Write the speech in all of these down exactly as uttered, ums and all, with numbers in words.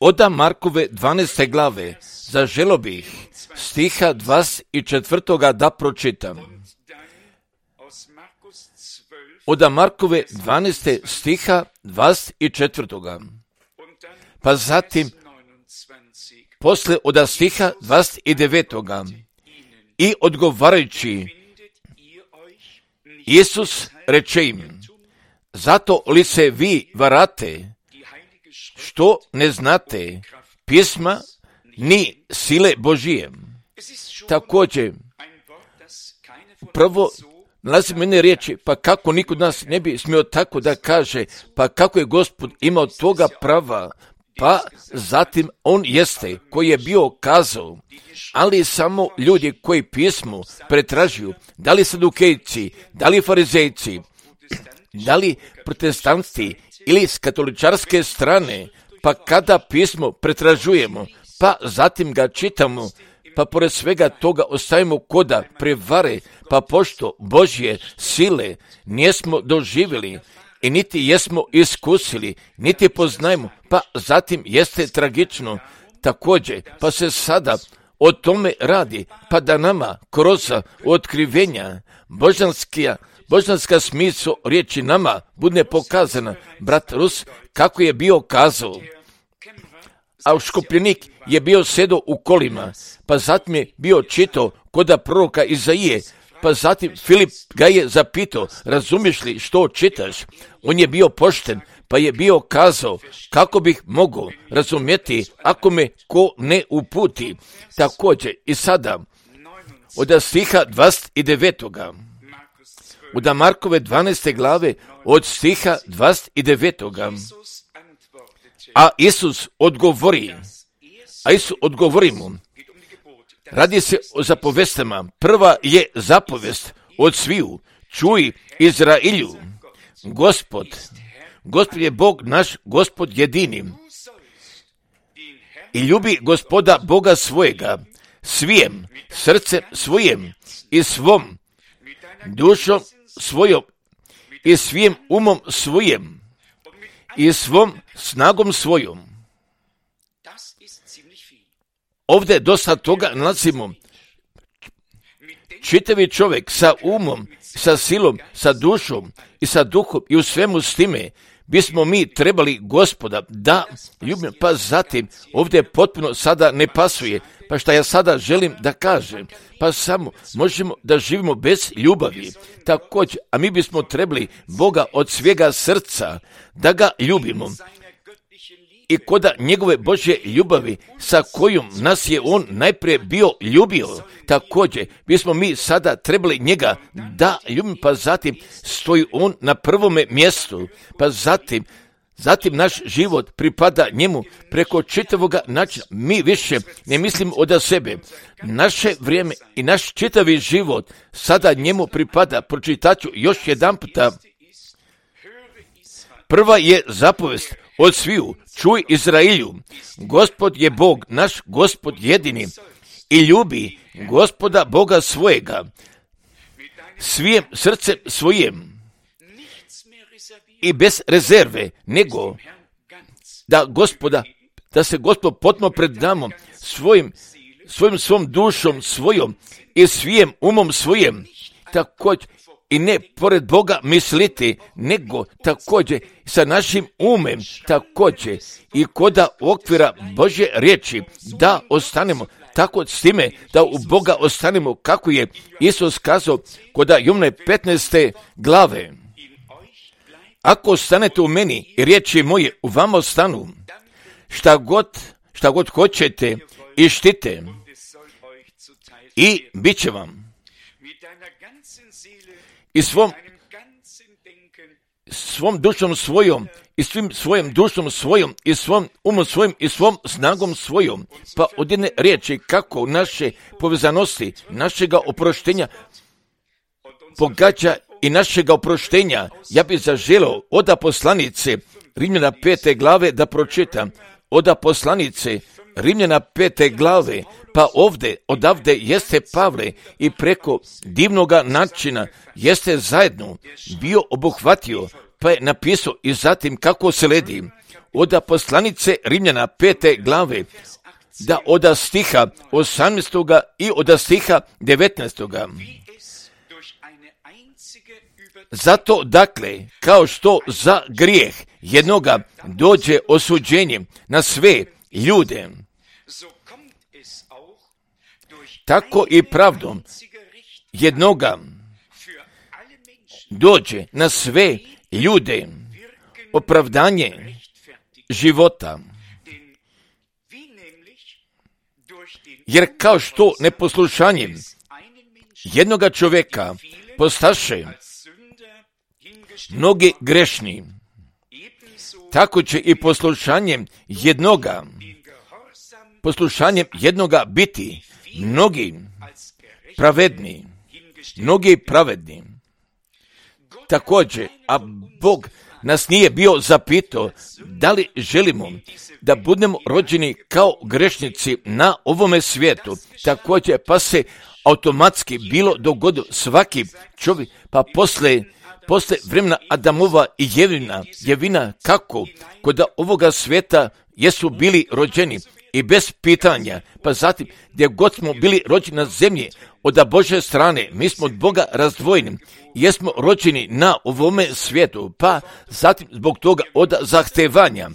Oda Markove dvanaeste glave, zaželo bih stiha dvadeset četvrtoga da pročitam. Oda Markove dvanaeste stiha dvadeset četvrtoga. Pa zatim, posle oda stiha dvadeset devetoga. I odgovarajući, Isus reče im, zato li se vi varate, što ne znate pisma ni sile Božije. Također, prvo nalazi mene riječi, pa kako niko od nas ne bi smio tako da kaže, pa kako je Gospod imao toga prava, pa zatim on jeste koji je bio kazao, ali samo ljudi koji pismu pretražuju, da li sadukejci, da li farizejci, da li protestanti ili s katoličarske strane, pa kada pismo pretražujemo, pa zatim ga čitamo, pa pored svega toga ostavimo koda prevare, pa pošto Božje sile nijesmo doživjeli i niti jesmo iskusili, niti poznajemo, pa zatim jeste tragično također, pa se sada o tome radi, pa da nama kroz otkrivenja božanskija Božanska smisao riječi nama bude pokazana. Brat Rus, kako je bio kazao, a škupljenik je bio sedo u kolima, pa zatim je bio čitao koda proroka Izaije, pa zatim Filip ga je zapitao, razumiješ li što čitaš? On je bio pošten, pa je bio kazao, kako bih mogao razumjeti ako me ko ne uputi. Također i sada, od stiha dvadeset devetoga. Od Markove dvanaeste glave od stiha dvadeset devetoga. A Isus odgovori, a Isus odgovori mu, radi se o zapovestama. Prva je zapovest od sviju, čuj Izrailju, Gospod, Gospod je Bog naš, Gospod jedini. I ljubi Gospoda Boga svojega, svijem, srcem svojem i svom dušom svojom i svim umom svojim i svom snagom svojom. Ovdje dosta toga nalazimo. Čitavi čovjek sa umom, sa silom, sa dušom i sa duhom i u svemu s time bismo mi trebali Gospoda da ljubimo. Pa zatim ovdje potpuno sada ne pasuje. Pa šta ja sada želim da kažem? Pa samo možemo da živimo bez ljubavi. Također, a mi bismo trebali Boga od svega srca da ga ljubimo. I koda njegove Božje ljubavi sa kojom nas je on najprije bio ljubio, također bismo mi sada trebali njega da ljubimo, pa zatim stoji on na prvome mjestu, pa zatim Zatim naš život pripada njemu preko čitavoga načina. Mi više ne mislimo od sebe. Naše vrijeme i naš čitavi život sada njemu pripada. Pročitaću još jedan puta. Prva je zapovest od sviju, čuj Izrailju, Gospod je Bog, naš Gospod jedini i ljubi Gospoda Boga svojega, svijem srcem svojem i bez rezerve, nego da Gospoda, da se Gospod potpuno predamo svojim, svojim svom dušom svojom i svijem umom svojim, također i ne pored Boga misliti, nego također sa našim umem, također i koda okvira Božje riječi, da ostanemo tako s time, da u Boga ostanemo, kako je Isus kazao koda Jovane petnaeste glave. Ako ostanete u meni i riječi moje u vama ostanu, šta god, šta god hoćete i štite i bit će vam. I svom, svom dušom svojom, i svim svojim dušom svojom, i svom umom svojim, i svom snagom svojom. Pa od jedne riječi kako naše povezanosti, našega oproštenja pogađa i našega oproštenja. Ja bih zaželio oda poslanice Rimljana pete glave da pročitam. Oda poslanice Rimljana pete glave, pa ovdje, odavde jeste Pavle i preko divnoga načina jeste zajedno bio obuhvatio pa je napisao i zatim kako sledi od poslanice Rimljana pete glave, da od stiha osamnaestoga i od stiha devetnaestoga. Zato, dakle, kao što za grijeh jednoga dođe osuđenje na sve ljude, tako i pravdom jednoga dođe na sve ljude opravdanje života. Jer kao što neposlušanjem jednoga čovjeka postaše mnogi grešni, tako će i poslušanjem jednoga, poslušanjem jednoga biti mnogi pravedni, mnogi pravedni. Također, a Bog nas nije bio zapitao da li želimo da budemo rođeni kao grešnici na ovome svijetu. Također, pa se automatski bilo dogodilo svaki čovjek, pa posle, posle vremena Adamova i Jevina, Jevina kako kod ovoga svijeta jesu bili rođeni i bez pitanja, pa zatim gdje god smo bili rođeni na zemlji od Božje strane, mi smo od Boga razdvojeni, jesmo rođeni na ovome svijetu, pa zatim zbog toga od zahtevanja.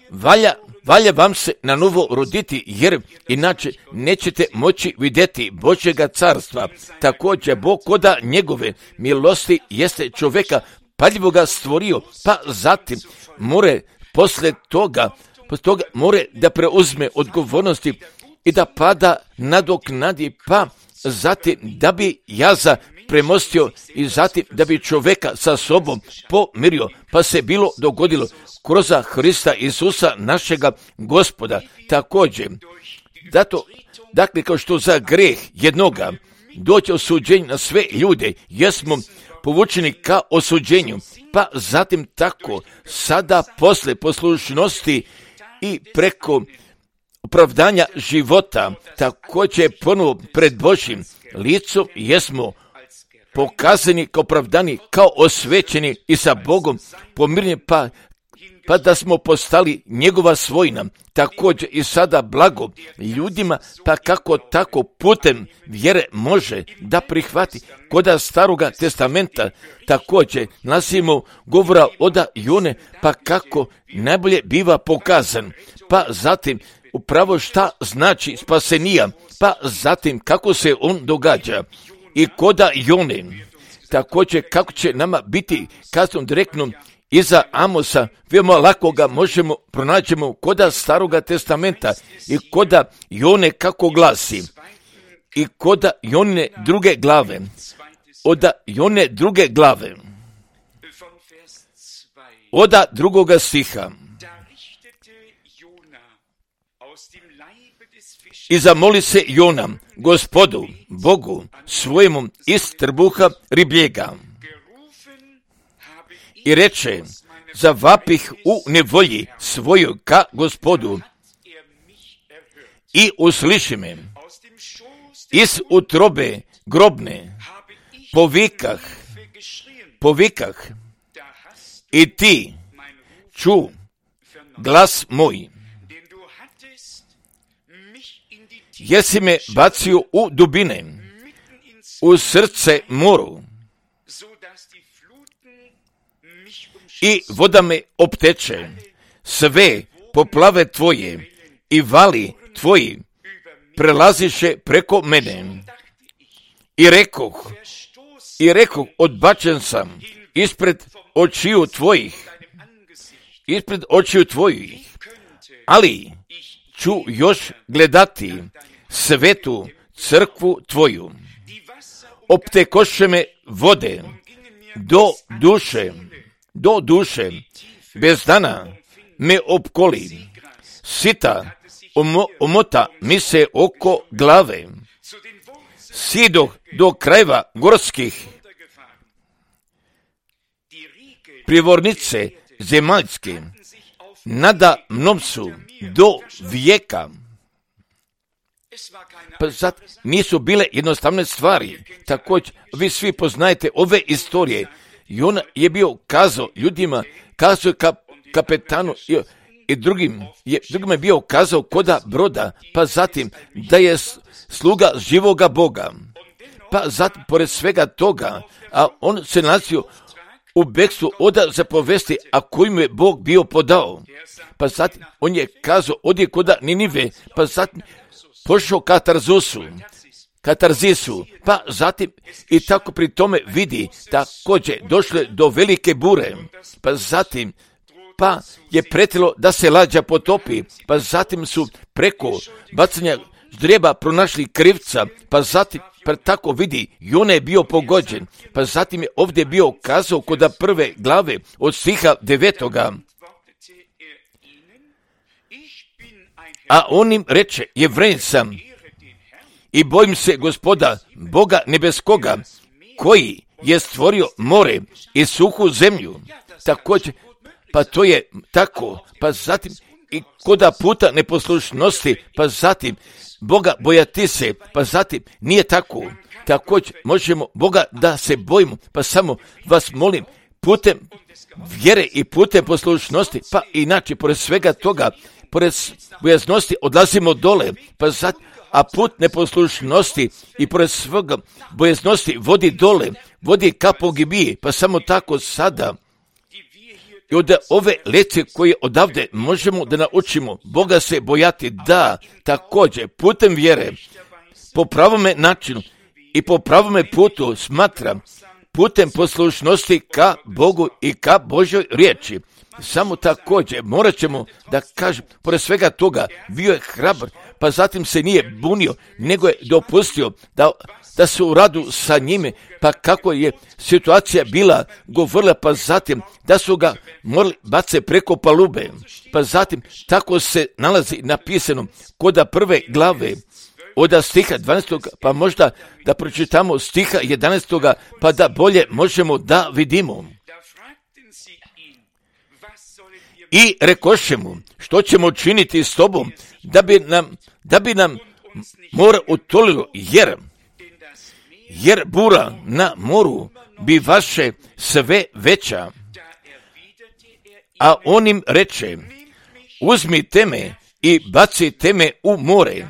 Valja, valja vam se na novo roditi, jer inače nećete moći vidjeti Božjega carstva. Također, Bog koda njegove milosti jeste čovjeka paljivoga stvorio, pa zatim more posle toga, posle toga more da preuzme odgovornosti i da pada nadoknadi, pa zatim da bi jaza premostio i zatim da bi čovjeka sa sobom pomirio, pa se bilo dogodilo kroz Hrista Isusa našega Gospoda. Također, dato, dakle, kao što za greh jednoga doće osuđenje na sve ljude, jesmo povučeni ka osuđenju, pa zatim tako sada posle poslušnosti i preko opravdanja života, također ponovo pred Božjim licom jesmo pokazani kao opravdani, kao osvećeni i sa Bogom pomirni, pa, pa da smo postali njegova svojina. Također i sada blago ljudima, pa kako tako putem vjere može da prihvati koda Staroga testamenta. Također nasimo govora od Jone, pa kako najbolje biva pokazan, pa zatim upravo šta znači spasenija, pa zatim kako se on događa. I koda Jone, također kako će nama biti kazano direktno iza Amosa, veoma lako ga možemo pronaćemo koda Staroga testamenta i koda Jone kako glasi. I koda Jone druge glave, od Jone druge glave, od drugoga stiha. I zamoli se Jona Gospodu, Bogu svojemu iz trbuha ribljega. I reče, zavapih u nevolji svoju ka Gospodu i usliši me. Iz utrobe grobne povikah, povikah i ti ču glas moj. Jesi me bacio u dubine, u srce moru, i voda me opteče, sve poplave tvoje i vali tvoji prelaziše preko mene. I rekoh, i rekoh, odbačen sam ispred očiju tvojih, ispred očiju tvojih, ali ću još gledati svetu crkvu tvoju. Optekoše me vode do duše, do duše, bez dana me opkoli, sita omo, omota mi se oko glave, sidoh do krajeva gorskih, privornice zemaljske, nada mnom su do vijeka. Pa sad nisu bile jednostavne stvari. Također, vi svi poznajete ove istorije. I on je bio kazao ljudima, kazao je kap, kapetanu i, i drugim, je, drugima je bio kazao koda broda, pa zatim da je sluga živoga Boga. Pa zatim, pored svega toga, a on se nalazio u bekstvu oda zapovesti, a koju mu je Bog bio podao. Pa zatim, on je kazao, odje koda Ninive, pa zatim pošao ka Tarzusu, ka Tarzisu, pa zatim i tako pri tome vidi, također došlo je do velike bure, pa zatim, pa je pretilo da se lađa potopi, pa zatim su preko bacanja ždrijeba pronašli krivca, pa zatim pa tako vidi, i on je bio pogođen, pa zatim je ovdje bio kazao koda prve glave od stiha devetoga. A on im reče, Jevrej sam i bojim se Gospoda, Boga nebeskoga, koji je stvorio more i suhu zemlju. Također, pa to je tako, pa zatim i koda puta neposlušnosti, pa zatim Boga bojati se, pa zatim nije tako. Također možemo Boga da se bojimo, pa samo vas molim, putem vjere i putem poslušnosti, pa inače, pored svega toga, pored bojaznosti odlazimo dole, pa zatim, a put neposlušnosti i pored svega bojaznosti vodi dole, vodi ka pogibiji, pa samo tako sada. I od ove lekcije koje odavde možemo da naučimo Boga se bojati, da također putem vjere, po pravome načinu i po pravome putu smatram, putem poslušnosti ka Bogu i ka Božoj riječi. Samo također morat ćemo da kažem, pored svega toga, bio je hrabar, pa zatim se nije bunio, nego je dopustio da, da se u radu sa njime, pa kako je situacija bila govorila, pa zatim da su ga morali bace preko palube, pa zatim tako se nalazi napisano koda prve glave, od stiha dvanaestog, pa možda da pročitamo stiha jedanaestog, pa da bolje možemo da vidimo. I rekoše mu, što ćemo činiti s tobom, da bi nam, da bi nam more utolilo, jer, jer bura na moru bi vaše sve veća. A on im reče, uzmite me i bacite me u more,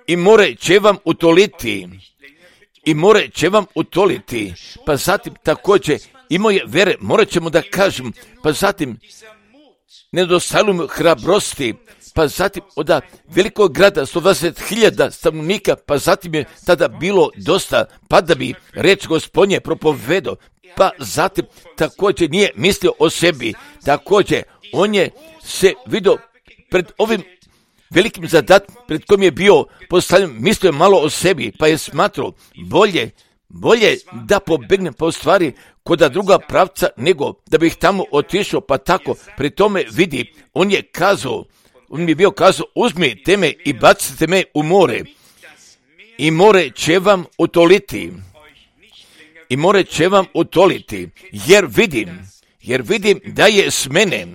i more će vam utoliti, i more će vam utoliti, pa zatim također imao je vere, morat ćemo da kažem, pa zatim nedostajalo mu hrabrosti, pa zatim od velikog grada sto dvadeset hiljada stanovnika, pa zatim je tada bilo dosta, pa da bi reč Gospodnje propovedao, pa zatim također nije mislio o sebi, također on je se vidio pred ovim velikim zadatkom pred kojim je bio postavljen, mislio je malo o sebi, pa je smatrao bolje, bolje da pobegnem po stvari koda druga pravca, nego da bih tamo otišao, pa tako pri tome vidi, on je kazao, on mi je bio kazao, uzmite me i bacite me u more, i more će vam utoliti, i more će vam utoliti, jer vidim, jer vidim da je s mene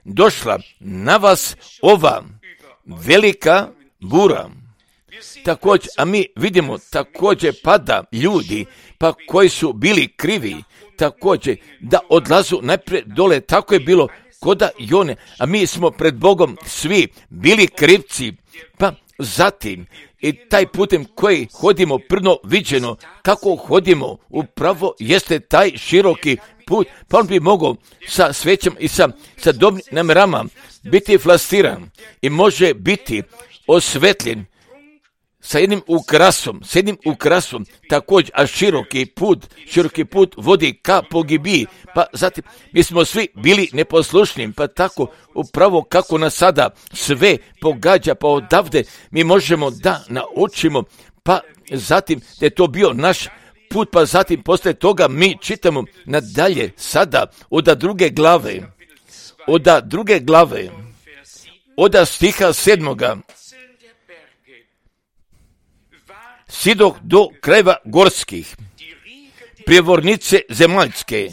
došla na vas ova velika bura. Također, a mi vidimo također pada ljudi, pa koji su bili krivi, također da odlazu najprije dole, tako je bilo koda Jone, a mi smo pred Bogom svi bili krivci, pa zatim i taj putem koji hodimo prno viđeno, kako hodimo, upravo jeste taj široki put, pa on bi mogao sa svećom i sa, sa dobrim namjerama biti flastiran i može biti osvetljen sa jednim ukrasom, sa jednim ukrasom, također, a široki put, široki put vodi ka pogibiji, pa zatim mi smo svi bili neposlušni, pa tako upravo kako nas sada sve pogađa, pa odavde mi možemo da naučimo, pa zatim da je to bio naš put, pa zatim posle toga mi čitamo nadalje sada od druge glave, od druge glave, od stiha sedmoga, sidoh do krajeva gorskih, prijevornice zemaljske,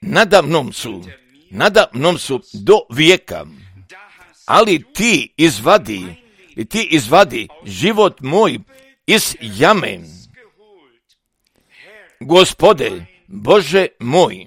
nada mnom su, nada mnom su do vijeka, ali ti izvadi, i ti izvadi život moj iz jame. Gospode, Bože moj.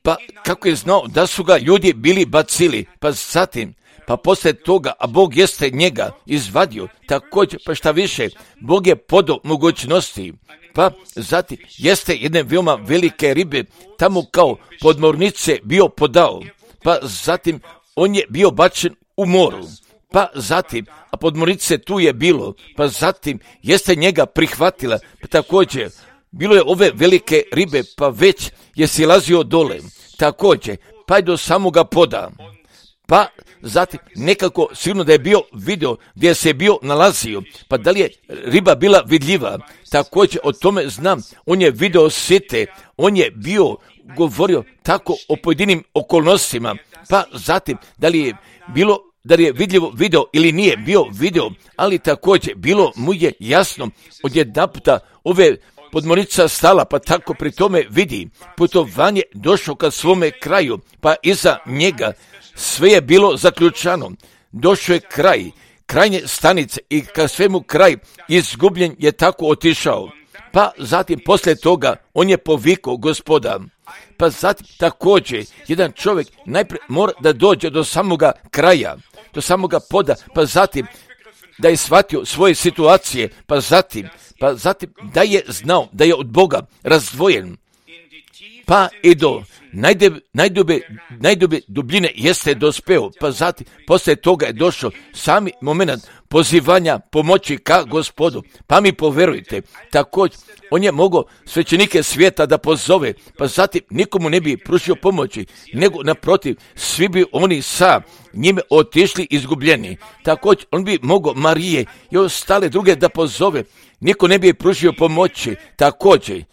Pa kako je znao da su ga ljudi bili bacili, pa zatim, pa poslije toga, a Bog jeste njega izvadio, također, pa šta više, Bog je podao mogućnosti, pa zatim jeste jedne veoma velike ribe tamo kao podmornice bio podao, pa zatim on je bio bačen u moru, pa zatim, a podmornice tu je bilo, pa zatim jeste njega prihvatila, pa također, bilo je ove velike ribe, pa već je silazio dole, također, pa je do samoga poda, pa zatim nekako sigurno da je bio video gdje se je bio nalazio, pa da li je riba bila vidljiva, također o tome znam, on je video site, on je bio govorio tako o pojedinim okolnostima, pa zatim da li je bilo da li je vidljivo video ili nije bio video, ali također bilo mu je jasno odjedanputa ove podmornica stala, pa tako pri tome vidi putovanje došlo ka svome kraju, pa iza njega sve je bilo zaključano, došao je kraj, krajnje stanice i ka svemu kraj izgubljen je tako otišao. Pa zatim poslije toga on je povikao Gospoda. Pa zatim također jedan čovjek najprije mora da dođe do samoga kraja, do samoga poda, pa zatim da je shvatio svoje situacije, pa zatim, pa zatim da je znao da je od Boga razdvojen, pa i do najdube, najdube, najdube dubljine jeste dospeo, pa zatim poslije toga je došao sami moment pozivanja pomoći ka Gospodu, pa mi poverujte, također on je mogao svećenike svijeta da pozove, pa zatim nikomu ne bi pružio pomoći, nego naprotiv, svi bi oni sa njime otišli izgubljeni. Također on bi mogao Marije i ostale druge da pozove, niko ne bi pružio pomoći, također,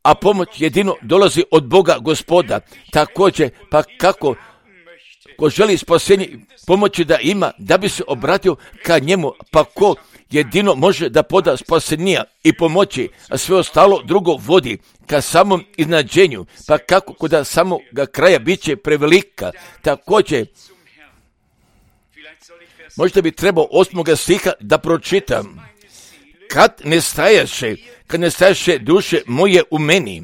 a pomoć jedino dolazi od Boga Gospoda, također, pa kako ko želi spasenje pomoći da ima, da bi se obratio ka njemu, pa ko jedino može da poda spasenija i pomoći, a sve ostalo drugo vodi ka samom iznađenju, pa kako kod samoga kraja bit će prevelika, također, možda bi trebao osmoga stiha da pročitam. Kad ne stajaše, kad ne stajaše duše moje u meni,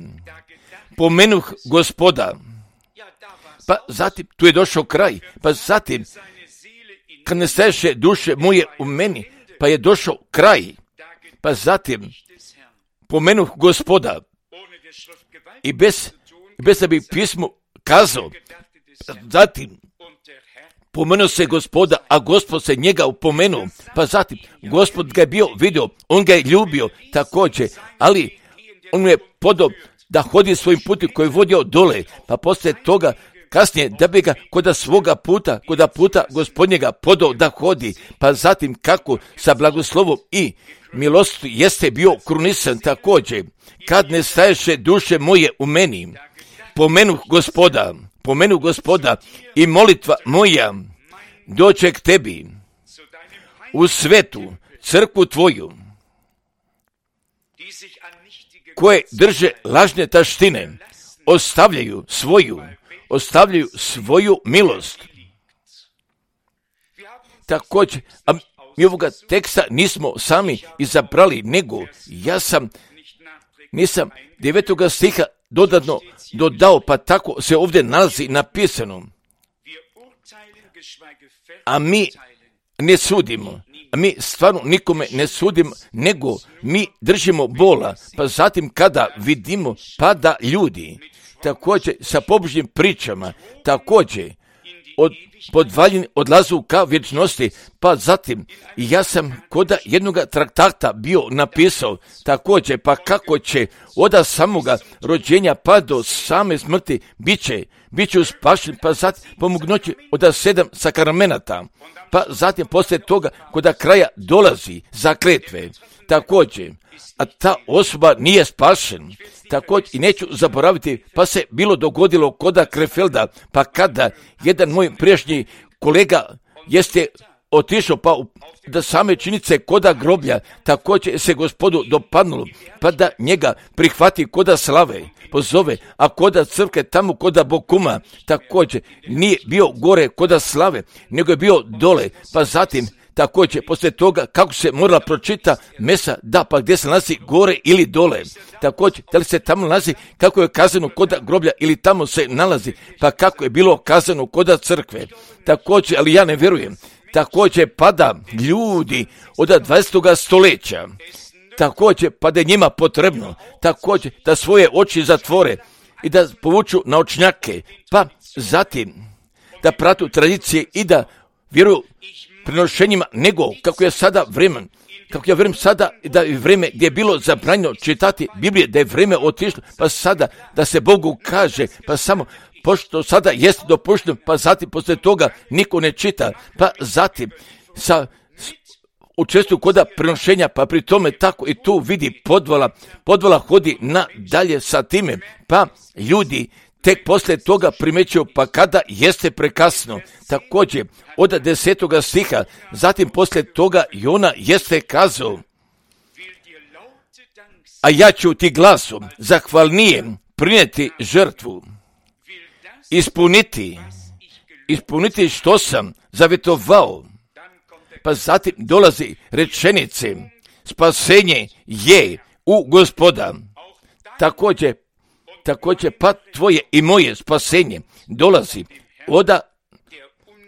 pomenuh Gospoda, pa zatim tu je došao kraj, pa zatim kad ne stajaše duše moje u meni, pa je došao kraj, pa zatim pomenuh Gospoda i bez, bez da bi pismo kazao, zatim pomenuo se Gospoda, a Gospod se njega upomenuo, pa zatim Gospod ga je bio vidio, on ga je ljubio također, ali on mu je podao da hodi svojim putem koji je vodio dole, pa poslije toga kasnije da bi ga koda svoga puta, koda puta Gospodnjega podao da hodi, pa zatim kako sa blagoslovom i milosti jeste bio krunisan također, kad ne staješe duše moje u meni, pomenuh Gospoda, pomenu Gospoda i molitva moja doće k tebi u svetu crkvu tvoju, koje drže lažne taštine, ostavljaju svoju, ostavljaju svoju milost. Također, a mi ovoga teksta nismo sami izabrali, nego ja sam, nisam devetoga stiha dodatno dodao, pa tako se ovdje nalazi napisano. A mi ne sudimo, a mi stvarno nikome ne sudimo, nego mi držimo bola, pa zatim kada vidimo pada ljudi, također sa pobožnim pričama, također od podvaljeni odlazu ka vječnosti, pa zatim ja sam koda jednoga traktata bio napisao također, pa kako će od samoga rođenja pa do same smrti bit će, bit će uspašen, pa zatim pomognući od sedam sakramenata, pa zatim poslije toga koda kraja dolazi zakletve, također, a ta osoba nije spašen. Također i neću zaboraviti, pa se bilo dogodilo koda Krefelda, pa kada jedan moj prijašnji kolega jeste otišao pa u, da same činice koda groblja, također se Gospodu dopadnulo, pa da njega prihvati koda slave, pozove, a koda crkve tamo koda Bokuma, također nije bio gore koda slave, nego je bio dole, pa zatim također poslije toga kako se morala pročita mesa, da, pa gdje se nalazi gore ili dole, također da li se tamo nalazi kako je kazano kod groblja ili tamo se nalazi, pa kako je bilo kazano kod crkve, također, ali ja ne vjerujem, također pada ljudi od dvadesetog stoljeća, također pa da je njima potrebno, također da svoje oči zatvore i da povuču naočnjake, pa zatim da pratu tradicije i da vjeruju prenošenjima, nego kako je sada vremen, kako ja vjerujem sada da je vrijeme gdje je bilo zabranjeno čitati Biblije, da je vrijeme otišlo, pa sada da se Bogu kaže, pa samo pošto sada jest dopušteno, pa zatim poslije toga niko ne čita, pa zatim sa učestvuju koda prenošenja, pa pri tome tako i tu vidi podvala, podvala hodi na dalje sa time, pa ljudi tek poslije toga primećuju, pa kada jeste prekasno. Također, od desetoga stiha, zatim poslije toga Jona jeste kazao, a ja ću ti glasom zahvalnije prinijeti žrtvu, ispuniti, ispuniti što sam zavjetovao. Pa zatim dolazi rečenice, spasenje je u Gospoda. Također, također pa tvoje i moje spasenje dolazi od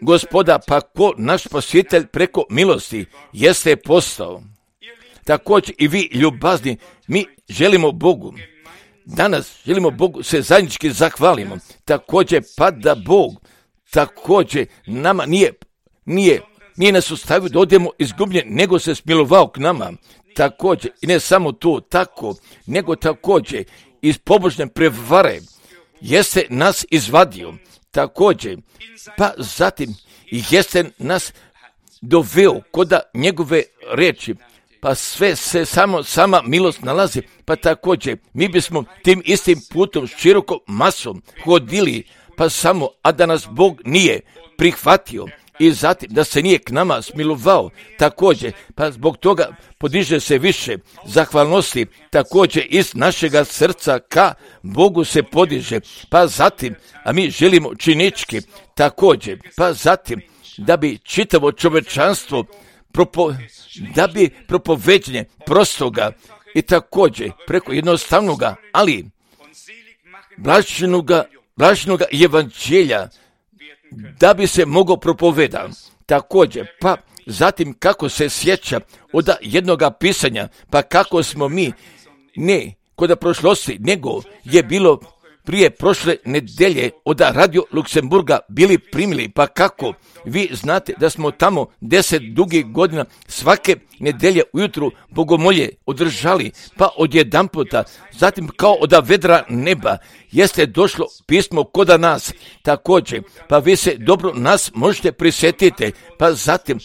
Gospoda, pa ko naš spasitelj preko milosti jeste postao. Također i vi ljubazni, mi želimo Bogu. Danas želimo Bogu se zajednički zahvalimo. Također pa da Bog također nama nije, nije Nije nas ostavio da odemo izgubljen, nego se smilovao k nama. Također, i ne samo to, tako, nego također iz pobožne prevare jeste nas izvadio. Također, pa zatim jeste nas doveo koda njegove riječi, pa sve se samo sama milost nalazi, pa također mi bismo tim istim putom široko masom hodili, pa samo, a da nas Bog nije prihvatio, i zatim da se nije k nama smilovao, također, pa zbog toga podiže se više zahvalnosti, također iz našega srca ka Bogu se podiže, pa zatim, a mi želimo činički, također, pa zatim, da bi čitavo čovečanstvo, propo, da bi propoveđenje prostoga i također preko jednostavnoga, ali blaženoga, blaženoga evanđelja, da bi se mogao propovedati. Također, pa zatim kako se sjeća od jednoga pisanja, pa kako smo mi, ne kod prošlosti, nego je bilo prije prošle nedelje od Radio Luksemburga bili primili, pa kako vi znate da smo tamo deset dugih godina svake nedelje ujutru bogomolje održali, pa odjedan puta, zatim kao od vedra neba jeste došlo pismo koda nas, također, pa vi se dobro nas možete prisjetiti, pa zatim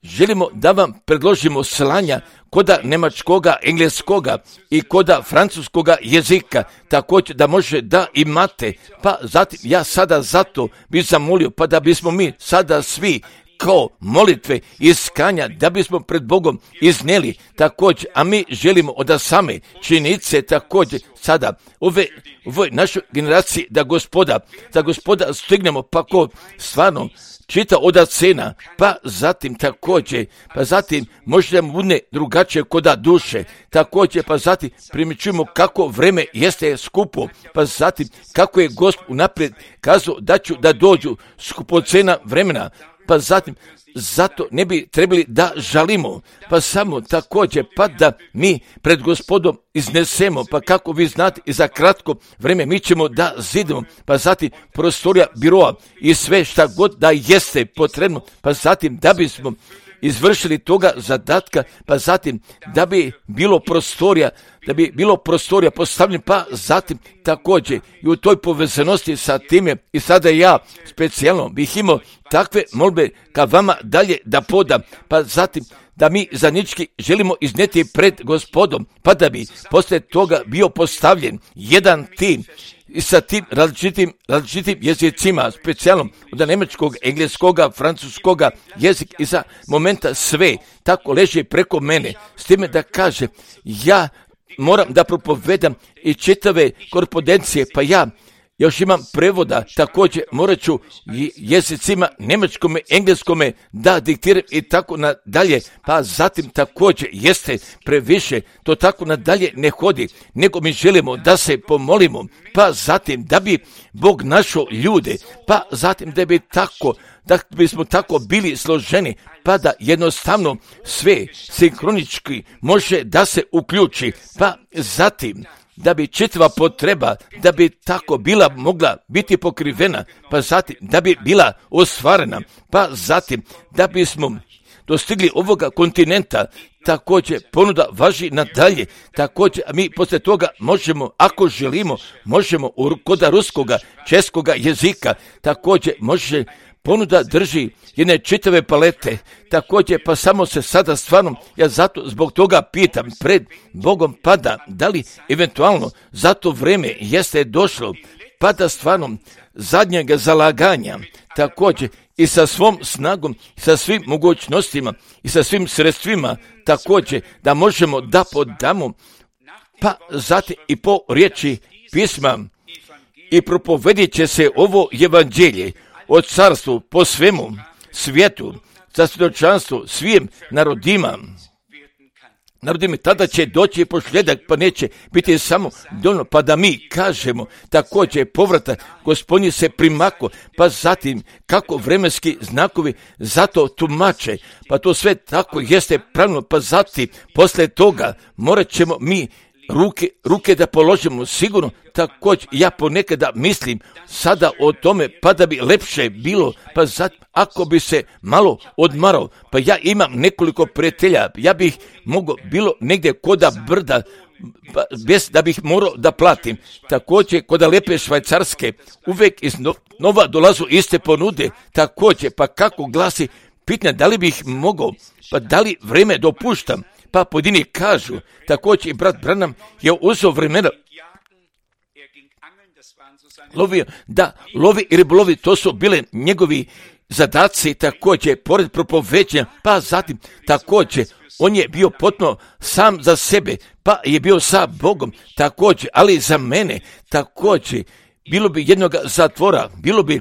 želimo da vam predložimo slanja koda njemačkoga, engleskoga i koda francuskoga jezika, također da može da imate, pa zatim ja sada zato bih zamolio, pa da bismo mi sada svi kao molitve iskanja, da bismo pred Bogom iznijeli također, a mi želimo od same činjenice također sada ove, ovoj našoj generaciji da gospoda, da gospoda stignemo, pa ko stvarno čita od cena, pa zatim također, pa zatim možda mu bude drugačije koda duše, također, pa zatim primjećujemo kako vreme jeste skupo, pa zatim kako je Gospod unaprijed kazao da ću da dođu skupocena vremena, pa zatim zato ne bi trebali da žalimo, pa samo također pa da mi pred Gospodom iznesemo, pa kako vi znate i za kratko vreme mi ćemo da zidimo, pa zatim prostorija biroa i sve šta god da jeste potrebno, pa zatim da bismo izvršili toga zadatka, pa zatim da bi bilo prostorija, da bi bilo prostorija postavljena, pa zatim također i u toj povezanosti sa time i sada ja specijalno bih imao takve molbe ka vama dalje da podam, pa zatim da mi zajednički želimo iznijeti pred Gospodom, pa da bi poslije toga bio postavljen jedan tim i sa tim različitim, različitim jezicima, specijalno od njemačkog, engleskoga, francuskoga jezik i za momenta sve tako leži preko mene, s time da kaže ja moram da propovedam i čitave korespondencije, pa ja još imam prevoda, također morat ću jezicima njemačkome, engleskome da diktiram i tako nadalje, pa zatim također jeste previše, to tako nadalje ne hodi, nego mi želimo da se pomolimo, pa zatim da bi Bog našao ljude, pa zatim da bi tako, da bismo tako bili složeni, pa da jednostavno sve sinkronički može da se uključi, pa zatim da bi čitava potreba, da bi tako bila mogla biti pokrivena, pa zatim da bi bila ostvarena, pa zatim da bismo dostigli ovoga kontinenta, također ponuda važi nadalje, također a mi poslije toga možemo, ako želimo, možemo kod ruskoga, českoga jezika, također može ponuda drži jedne čitave palete, također pa samo se sada stvarno, ja zato zbog toga pitam pred Bogom, pa da, da li eventualno za to vreme jeste došlo, pa da stvarno zadnjega zalaganja, također i sa svom snagom, sa svim mogućnostima i sa svim sredstvima, također da možemo da podamo, pa zatim i po riječi pisma i propovedit će se ovo evanđelje o carstvu po svemu svijetu, za svjedočanstvo svim narodima. Narodima, tada će doći posljedak, pa neće biti samo dovoljno, pa da mi kažemo, također povratak Gospodnji se primako, pa zatim kako vremenski znakovi zato tumače, pa to sve tako jeste pravilno, pa zatim posle toga morat ćemo mi ruke, ruke da položimo sigurno, također ja ponekada mislim sada o tome, pa da bi lepše bilo, pa zatim ako bi se malo odmarao, pa ja imam nekoliko prijatelja, ja bih mogao bilo negdje koda brda, pa bez da bih morao da platim, također koda lepe Švajcarske, uvijek iz nova dolazu iste ponude, također pa kako glasi, pitanje da li bih mogao, pa da li vreme dopuštam, pa pojedini kažu, također i brat Branham je uzeo vremena, lovio, da, lovi i ribolovi, to su bile njegovi zadaci, također, pored propoveđenja, pa zatim, također, on je bio potpuno sam za sebe, pa je bio sa Bogom, također, ali za mene, također, bilo bi jednog zatvora, bilo bi,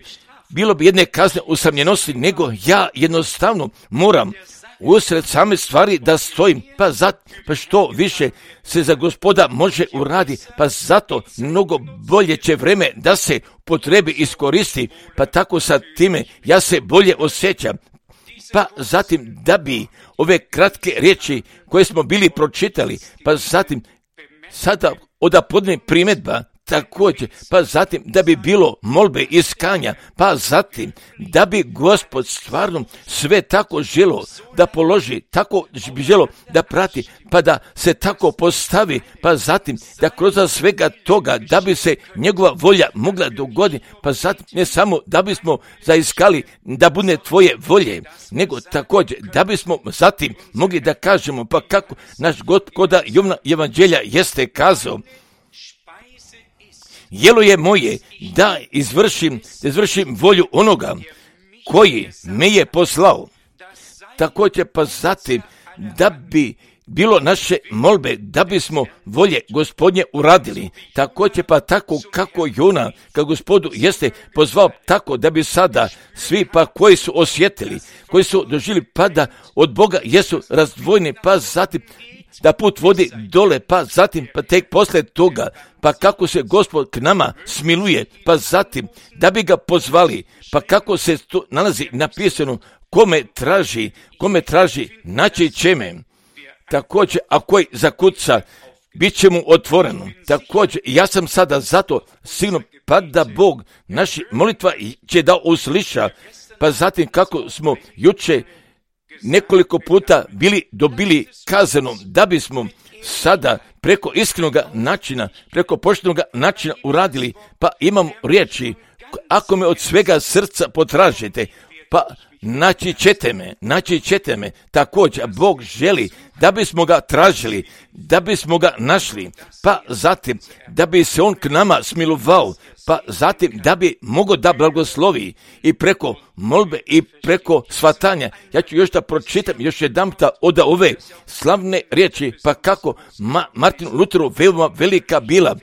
bilo bi jedne kazne usamljenosti, nego ja jednostavno moram usred same stvari da stojim, pa zato, pa što više se za Gospoda može uradi, pa zato mnogo bolje će vreme da se potrebi iskoristi, pa tako sa time ja se bolje osjećam. Pa zatim da bi ove kratke riječi koje smo bili pročitali, pa zatim sada odapodne primjedba, također, pa zatim da bi bilo molbe iskanja, pa zatim da bi Gospod stvarno sve tako želo da položi, tako bi želo da prati, pa da se tako postavi, pa zatim da kroz svega toga da bi se njegova volja mogla dogoditi, pa zatim ne samo da bismo zaiskali da bude tvoje volje, nego također da bismo zatim mogli da kažemo, pa kako naš Gospoda Jovna evanđelja jeste kazao, jelo je moje da izvršim, da izvršim volju onoga koji me je poslao. Također pa zatim da bi bilo naše molbe da bismo volje Gospodnje uradili. Također pa tako kako Jona, kad Gospodu jeste pozvao tako da bi sada svi pa koji su osjetili, koji su doživjeli pa da od Boga jesu razdvojeni, pa zatim da put vodi dole, pa zatim, pa tek posle toga, pa kako se Gospod k nama smiluje, pa zatim, da bi ga pozvali, pa kako se to nalazi napisano, kome traži, kome traži, naći će me. Također, a koji zakuca, bit će mu otvoreno. Također, ja sam sada zato sigurno, pa da Bog naši molitva će da usliša, pa zatim kako smo juče nekoliko puta bili dobili kazanom da bismo sada preko iskrenog načina, preko poštenog načina uradili, pa imam riječi, ako me od svega srca potražite, pa naći ćete me, naći ćete me, također Bog želi da bismo ga tražili, da bismo ga našli, pa zatim da bi se on k nama smilovao, pa zatim da bi mogao da blagoslovi i preko molbe i preko svatanja. Ja ću još da pročitam još jedanputa od ove slavne riječi, pa kako Ma, Martinu Luteru veoma velika bila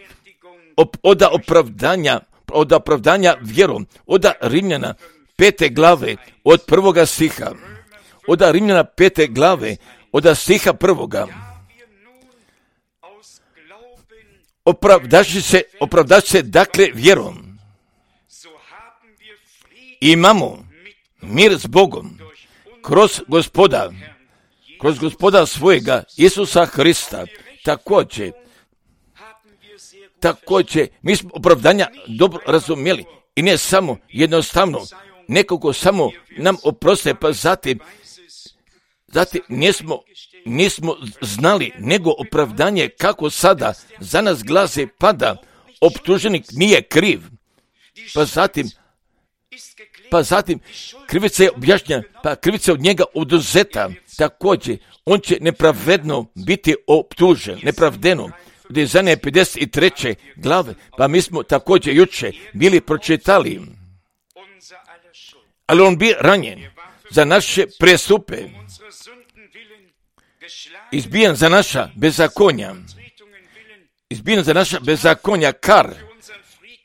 op, oda opravdanja, od opravdanja vjerom, od Rimljana pete glave, od prvoga stiha, od Rimljana pete glave, od stiha prvoga. Opravdaši se, opravdaši se dakle vjerom. Imamo mir s Bogom kroz Gospoda, kroz Gospoda svojega Isusa Hrista. Također, također, mi smo opravdanja dobro razumjeli i ne samo jednostavno, nekoliko samo nam oproste, pa zatim, zatim nismo, nismo znali nego opravdanje kako sada za nas glase pada, optuženik nije kriv, pa zatim, pa zatim krivica je objašnjena, pa krivica od njega oduzeta, također on će nepravedno biti optužen, nepravdeno. Od Izaije pedeset treće glave, pa mi smo također juče bili pročitali, ali on bi ranjen za naše prestupe, izbijen za naša bezakonja, izbijen za naša bezakonja, kar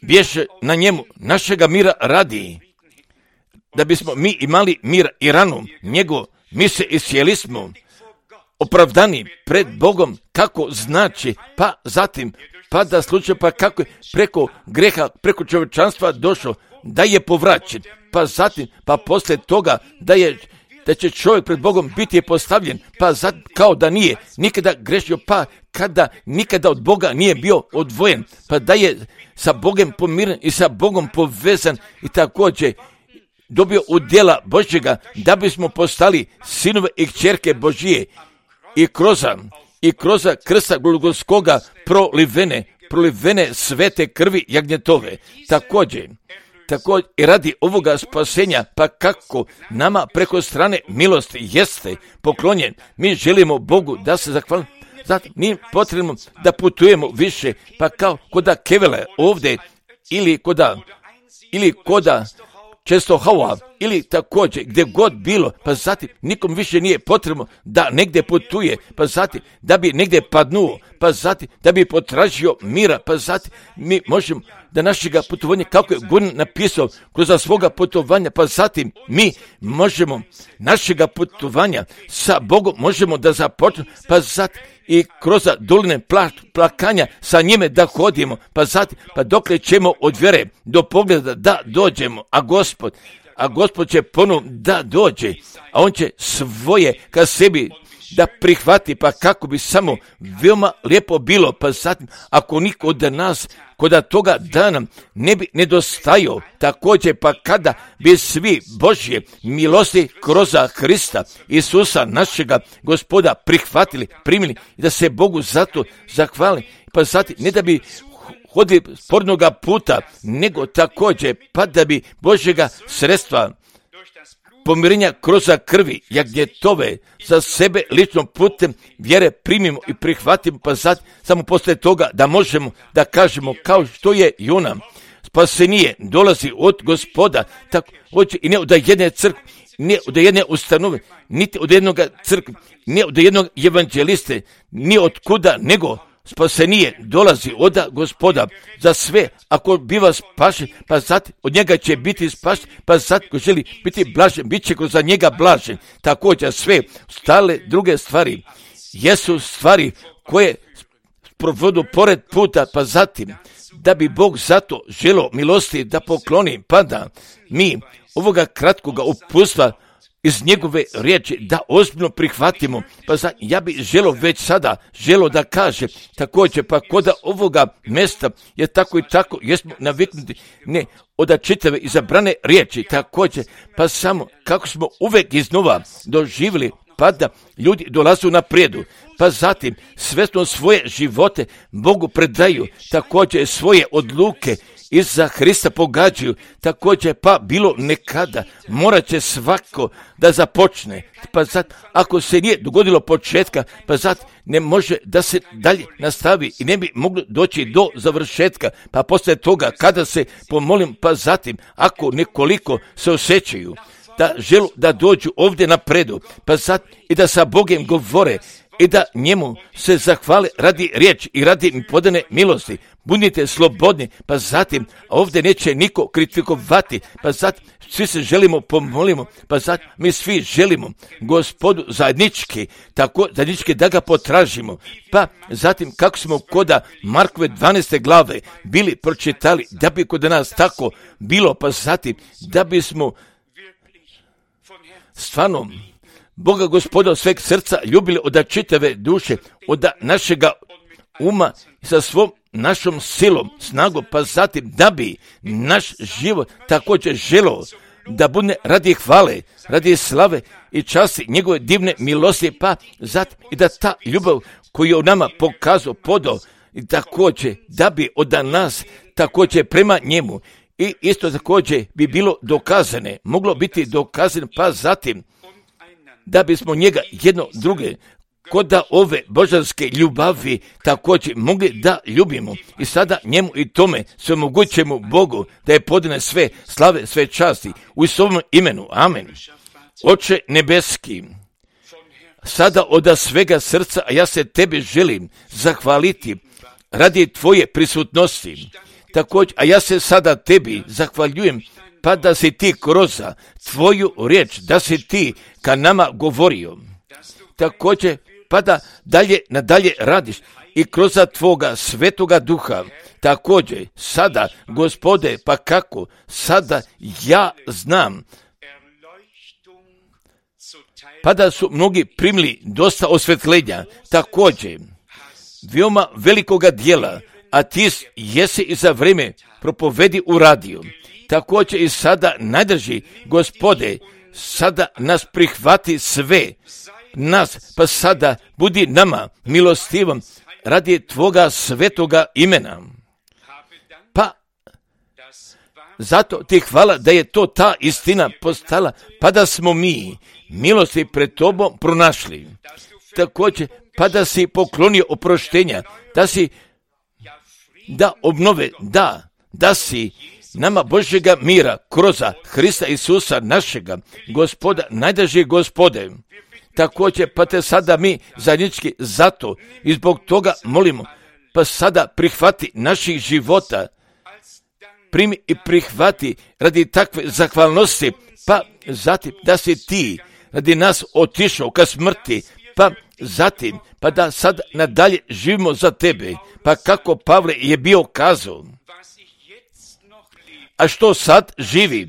bješe na njemu našega mira radi, da bismo mi imali mir i ranu njegov, mi se isjeli smo opravdani pred Bogom, kako znači, pa zatim, pa da slučaj, pa kako je preko greha, preko čovječanstva došao, da je povraćen, pa zatim, pa poslije toga, da je, da će čovjek pred Bogom biti postavljen, pa zatim, kao da nije nikada grešio, pa kada nikada od Boga nije bio odvojen, pa da je sa Bogom pomiren i sa Bogom povezan i također dobio udjela Božjega, da bismo postali sinove i kćerke Božije i kroz i kroz krsta Golgotskoga prolivene, prolivene svete krvi jagnjetove. Također, također i radi ovoga spasenja, pa kako nama preko strane milosti jeste poklonjen, mi želimo Bogu da se zahvalimo. Zato nije potrebno da putujemo više, pa kao koda Kevele ovdje ili koda, ili koda često Hava, ili također gdje god bilo, pa zatim nikom više nije potrebno da negdje putuje, pa zatim da bi negdje padnuo, pa zatim da bi potražio mira, pa zatim mi možemo da našega putovanja, kako je Gun napisao, kroz svoga putovanja, pa zatim mi možemo našega putovanja sa Bogom možemo da započnemo, pa zatim i kroz doline pla, plakanja sa njime da hodimo, pa zatim, pa dokle ćemo od vjere do pogleda da dođemo, a Gospod, a Gospod će ponovno da dođe, a on će svoje ka sebi da prihvati, pa kako bi samo veoma lijepo bilo, pa zatim, ako niko od nas koda toga dana ne bi nedostajao, također pa kada bi svi Božje milosti kroz Hrista Isusa našega Gospoda prihvatili, primili i da se Bogu zato zahvali, pa zatim ne da bi hodili spornoga puta, nego također pa da bi Božjega sredstva pomirenja kroz krvi jagnjetove za sebe ličnom putem vjere primimo i prihvatimo, pa zatim samo poslije toga da možemo da kažemo kao što je Jona, spasenije dolazi od Gospoda, tako hoće i ne od jedne crkve, ne od jedne ustanove, niti od jednog crkve, ne od jednog evanđeliste, ni od kuda, nego spasenije dolazi od Gospoda za sve, ako biva spašen, pa zatim od njega će biti spašen, pa zatim ko želi biti blažen, bit će za njega blažen. Također sve stale druge stvari jesu stvari koje provodu pored puta, pa zatim da bi Bog zato želo milosti da pokloni, pa da mi ovoga kratkoga upustva iz njegove riječi da ozbiljno prihvatimo, pa za, ja bih želo već sada, želo da kaže, također pa koda ovoga mjesta je tako i tako, jesmo naviknuti, ne, od čitave izabrane riječi, također, pa samo kako smo uvijek iznova doživjeli, pa da ljudi dolazu na prijedu, pa zatim svjesno svoje živote Bogu predaju, također svoje odluke iza Hrista pogađaju, također pa bilo nekada, morat će svako da započne, pa zato ako se nije dogodilo početka, pa zato ne može da se dalje nastavi i ne bi moglo doći do završetka, pa poslije toga kada se pomolim, pa zatim ako nekoliko se osjećaju da želu da dođu ovdje na predu, pa zato i da sa Bogom govore, i da njemu se zahvale radi riječi i radi podane milosti. budite slobodni, pa zatim ovdje neće niko kritikovati, pa zatim svi se želimo pomolimo, pa zatim mi svi želimo Gospodu zajednički, tako zajednički da ga potražimo, pa zatim kako smo koda Markove dvanaeste glave bili pročitali, da bi kod nas tako bilo, pa zatim da bismo stvarno Boga Gospoda od sveg srca ljubili od čitave duše, od našega uma sa svom našom silom, snagom, pa zatim da bi naš život također želeo da bude radi hvale, radi slave i časti njegove divne milosti, pa zatim i da ta ljubav koju je u nama pokazao, podao, i također da bi od nas također prema njemu i isto također bi bilo dokazane, moglo biti dokazano, pa zatim da bismo njega jedno druge kod da ove božanske ljubavi također mogli da ljubimo i sada njemu i tome sve mogućemu Bogu da je podane sve slave, sve časti u svom imenu. Amen. Oče nebeski, sada od svega srca, a ja se tebi želim zahvaliti radi tvoje prisutnosti. Također, a ja se sada tebi zahvaljujem, pa da si ti kroz tvoju riječ, da si ti ka nama govorio. Također, pa da dalje nadalje radiš i kroz tvoga svetoga duha. Također, sada, Gospode, pa kako, sada ja znam, pa da su mnogi primili dosta osvetljenja, također, veoma velikoga dijela, a ti jesi i za vrijeme propovedi u radiju. Također i sada najdrži, Gospode, sada nas prihvati sve, nas, pa sada budi nama milostivom radi tvoga svetoga imena. Pa zato ti hvala da je to ta istina postala, pa da smo mi milosti pred tobom pronašli. Također, pa da si poklonio oproštenja, da si da obnove, da, da si nama Božjega mira kroz Hrista Isusa našega, Gospoda, najdraži Gospode. Također, pa te sada mi zajednički zato i zbog toga molimo, pa sada prihvati naših života, primi i prihvati radi takve zahvalnosti, pa zatim da si ti radi nas otišao ka smrti, pa zatim, pa da sad nadalje živimo za tebe, pa kako Pavle je bio kazao, a što sad živim?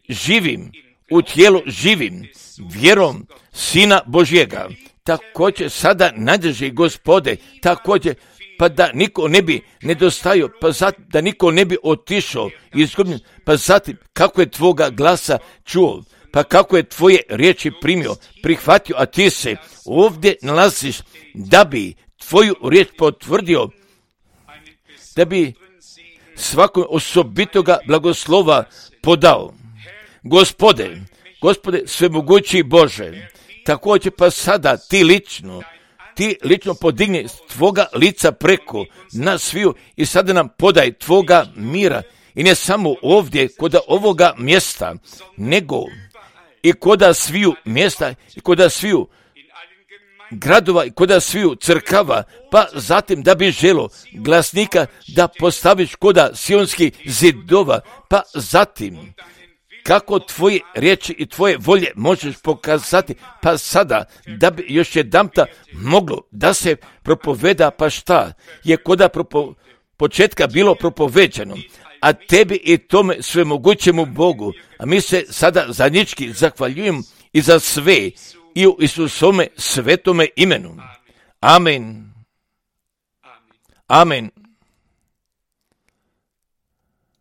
Živim, u tijelu živim, vjerom Sina Božjega. Također sada najdrži Gospode, također pa da niko ne bi nedostajao, pa zatim da niko ne bi otišao izgubljen, pa zatim kako je tvoga glasa čuo, pa kako je tvoje riječi primio, prihvatio, a ti se ovdje nalaziš da bi tvoju riječ potvrdio, da bi svakom osobitoga blagoslova podao. Gospode, Gospode svemogući Bože, također pa sada ti lično, ti lično podigni tvoga lica preko nas sviju i sada nam podaj tvoga mira i ne samo ovdje kod ovoga mjesta, nego i kod sviju mjesta i kod sviju gradova i kod sviju crkava, pa zatim da bi želo glasnika da postaviš kod sionskih zidova, pa zatim kako tvoje riječi i tvoje volje možeš pokazati, pa sada da bi još jedanputa moglo da se propoveda, pa šta je koda propo, početka bilo propoveđano, a tebi i tome svemogućemu Bogu, a mi se sada zajednički zahvaljujemo i za sve i u Isusome svetome imenu. Amen. Amen.